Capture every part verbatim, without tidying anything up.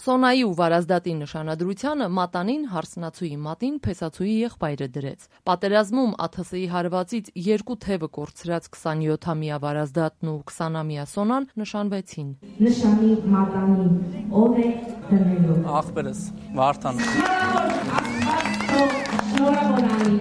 Սոնայի ու Վարազդատի նշանադրությանը մատանին հարսնացուի մատին փեսացուի եղբայրը դրեց։ Պատերազմում ԱԹՍ-ի հարվածից երկու թևը կորցրած քսանյոթամյա Վարազդատն ու քսանամյա Սոնան նշանվեցին։ Նշանի մատանին ով է դնելու։ Ախպերս Վարդան։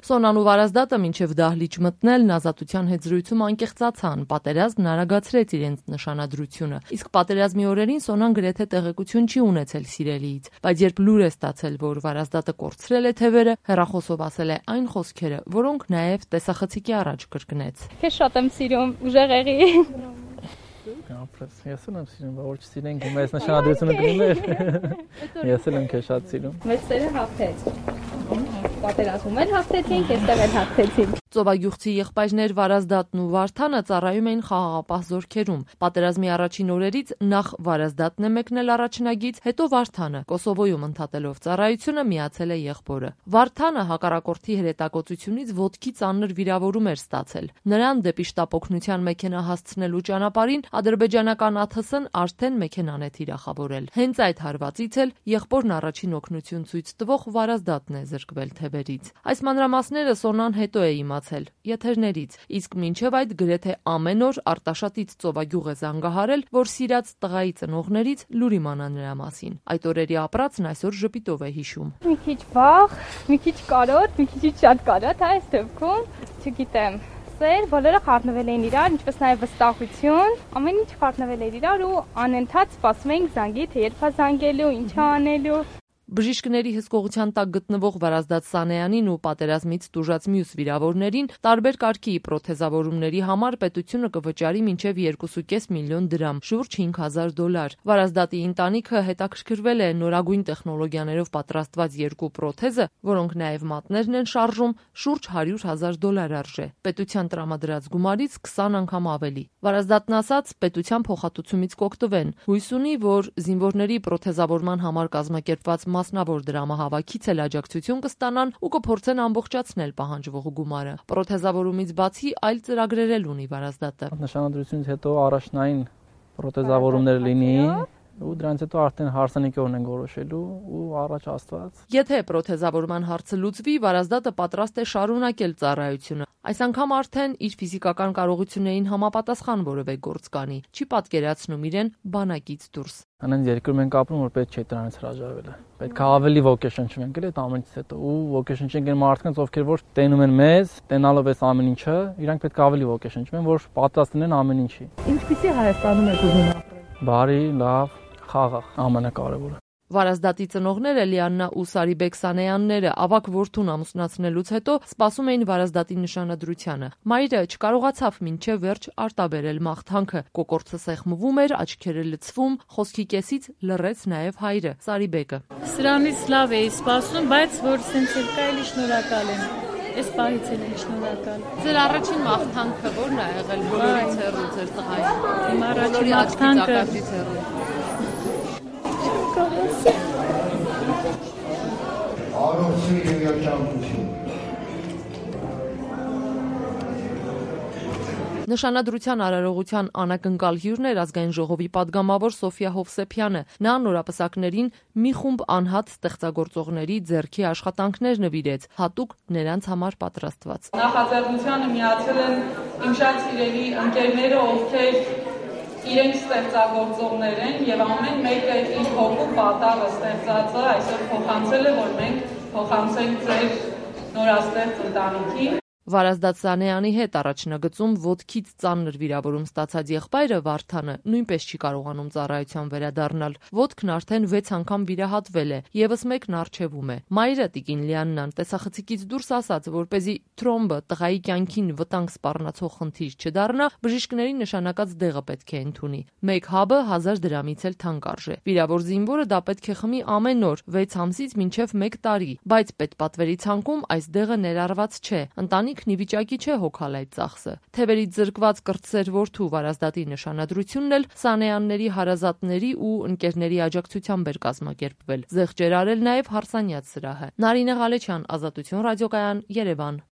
Սոնան ու Վարազդատը մինչև դահլիճ մտնելն ազատության հետ զրույցում անկեղծացան, պատերազմն արագացրեց իրենց նշանադրությունը, իսկ պատերազմի օրերին Սոնան գրեթե տեղեկություն չի ունեցել սիրելիից, բայց երբ լուր է ստացել, որ Վարազդատը կորցրել է թևերը, հեռախոսով ասել է այն խոսքերը, որոնք նաև տեսախցիկի առաջ կրկնեց։ Քեզ շատ եմ սիրում, ուժեղ եղի։ Ապրես, ես եմ սիրում, որ չսիրենք, մեզ նշանադրությունը կլիներ։ Ես եմ քեզ շատ սիրում։ Մեծ սերը հաղթեց։ Պատերազմում էլ հաղթեցինք, այստեղ էլ հաղթեցինք։ Ծովագյուղցի եղբայրներ Վարազդատն ու Վարդանը ծառայում էին խաղաղապահ զորքերում։ Պատերազմի առաջին օրերից նախ Վարազդատն է մեկնել առաջնագից, հետո Վարդանը։ Կոսովոյում ընդհատելով ծառայությունը միացել է եղբորը։ Վարդանը հակառակորդի հրետակոծությունից ոտքի ծանր վիրավորում էր ստացել։ Նրան դեպի շտապ օգնության մեքենա հասցնելու ճանապարհին ադրբեջանական ԱԹՍ-ն արդեն մեքենան է թիրախավորել։ Հենց այդ հարվածից էլ եղբորն առաջին օգնություն ցույց տվող Վարազդատն է զրկվել թևերից։ Այս մանրամասները Սոնան հետո է իմացել եթերներից, իսկ մինչև այդ գրեթե ամեն օր Արտաշատից Ծովագյուղ է զանգահարել, որ սիրած տղայի ծնողներից լուր իմանա նրա մասին։ Այդ օրերի ապրածն այսօր ժպիտով է հիշում։ Մի քիչ վախ, մի քիչ կարոտ, մի քիչ շատ կարոտ, այս դեպքում, չգիտեմ, սեր, բոլորը խառնվել էին իրար, ինչպես նաև վստահություն, ամեն ինչ խառնվել էր իրար ու անընդհատ սպասում էինք զանգի, թե երբ է զանգելու, ինչ է անելու։ Բժիշկների հսկողության տակ գտնվող Վարազդատ Սանեյանին ու պատերազմից տուժած մյուս վիրավորներին տարբեր կարգի պրոթեզավորումների համար պետությունը կվճարի մինչև երկուսուկես միլիոն դրամ, շուրջ հինգ հազար դոլար։ Վարազդատի ընտանիքը հետաքրքրվել է նորագույն տեխնոլոգիաներով պատրաստված երկու պրոթեզը, որոնք նաև մատներն են շարժում, շուրջ հարյուր հազար դոլար արժե։ Պետության տրամադրած գումարից քսան անգամ ավելի։ Վարազդատն ասաց, պետության փոխհատուցումից կօգտվեն։ Հույս ունի, որ զինվորների պրոթեզավորման համար կազմակերպված մասնավոր դրամահավաքից էլ աջակցություն կստանան ու կփորձեն ամբողջացնել պահանջվող գումարը։ Պրոթեզավորումից բացի այլ ծրագրեր էլ ունի Վարազդատը։ Նշանադրությունից հետո առաջնային պրոթեզավորումներ լինի ու դրանից հետո արդեն հարսանեկի ունենք որոշելու ու առաջ Աստված։ Եթե պրոթեզավորման հարցը լուծվի, Վարազդատը պատրաստ է շարունակել ծառայությունը։ Այս անգամ արդեն իր ֆիզիկական կարողություններին համապատասխան որևէ գործ կանի, չի պատկերացնում իրեն բանակից դուրս։ Անենց երկրում ենք ապրում, որ պետք չէ դրանից հրաժարվել։ Պետք է ավելի ոգեշնչվենք էլ այդ ամենից հետո ու ոգեշնչենք այն մարդկանց, ովքեր որ տենում են մեզ, տենալով այս ամեն ինչը, իրանք պետք է ավելի ոգեշնչվեն, որ պատրաստ լինեն ամեն ինչի։ Ինչպիսի Հայաստանում եք ուզում ապրել։ Բարի, լավ, խաղաղ, ամենակարևորը։ Վարազդատի ծնողները Լիաննա ու Սարիբեկ Սանեյանները ավագ որդուն ամուսնացնելուց հետո սպասում էին Վարազդատի նշանադրությանը։ Մայրը չկարողացավ մինչև վերջ արտաբերել մաղթանքը։ Կոկորդը սեղմվում էր, աչքերը լցվում, խոսքի կեսից լռեց նաև հայրը Սարիբեկը։ Սրանից լավ էի սպասում, բայց որ սենց էլ կա, էլի շնորհակալ եմ։ Այս պահից էլ եմ շնորհակալ։ Ձեր առաջին մաղթանքը ո՞րն է եղել բոլորից հեռու ձեր տղային։ Իմ առաջին մաղթանքը Արոցի և երջանկություն։ Նշանադրության արարողության անակնկալ հյուրն էր ազգային ժողովի падգամավոր Սոֆիա Հովսեփյանը։ Նա նորապսակներին մի խումբ անհատ ստեղծագործողների ձեռքի աշխատանքներ նվիրեց, հատուկ նրանց համար պատրաստված։ Նախաձեռնությանը միացել են իմ շատ սիրելի ընկերները, ովքեր իրենք ստեղծագործողներ են եւ ամեն մեկը իր հոգու պատավը ստեղծածը այսօր փոխանցել է, որ մենք փոխանցենք ձեր նորաստեղծ ընտանիքին։ Վարազդատ Սանեյանի հետ առաջնագծում ոտքից ծանր վիրավորում ստացած եղբայրը Վարդանը նույնպես չի կարողանում ծառայության վերադառնալ։ Ոտքն արդեն վեց անգամ վիրահատվել է, եւս մեկն առջևում է։ Մայրը տիկին Լիաննան տեսախցիկից դուրս ասաց, որպեսզի թրոմբը տղայի կյանքին վտանգ սպառնացող խնդիր չդառնա, բժիշկների նշանակած դեղը պետք է ընդունի։ Մեկ հաբը հազար դրամից էլ թանկ արժե։ Վիրավոր զինվորը դա պետք է խմի ամեն օր, վեց ամսից մինչև մեկ տարի, բայց պետպատվերի ցանկում այս դեղը ներառված չէ։ Ընտանիքն ի վիճակի չէ հոգալ այդ ծախսը։ Թևերից զրկված կրտսեր որդու Վարազդատի նշանադրությունն էլ Սանեյանների հարազատների ու ընկերների աջակցությամբ էր կազմակերպվել։ Զեղչեր արել նաև Հարսանյաց սրահը։ Նարինե Ղալեչյան, Ազատություն ռադիոկայան, Երևան։